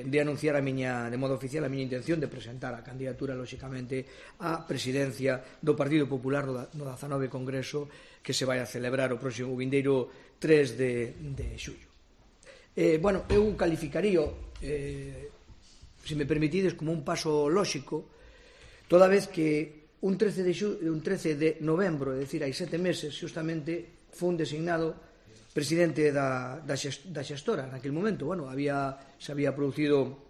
de anunciar de modo oficial a miña intención de presentar a candidatura, lóxicamente, á presidencia do Partido Popular no 19 Congreso que se vai a celebrar o próximo vindeiro 3 de xullo. Eu calificaría, se me permitides, como un paso lóxico, toda vez que un 13 de novembro, é dicir, hai 7 meses, justamente, fun designado presidente da xestora naquele momento. Se había producido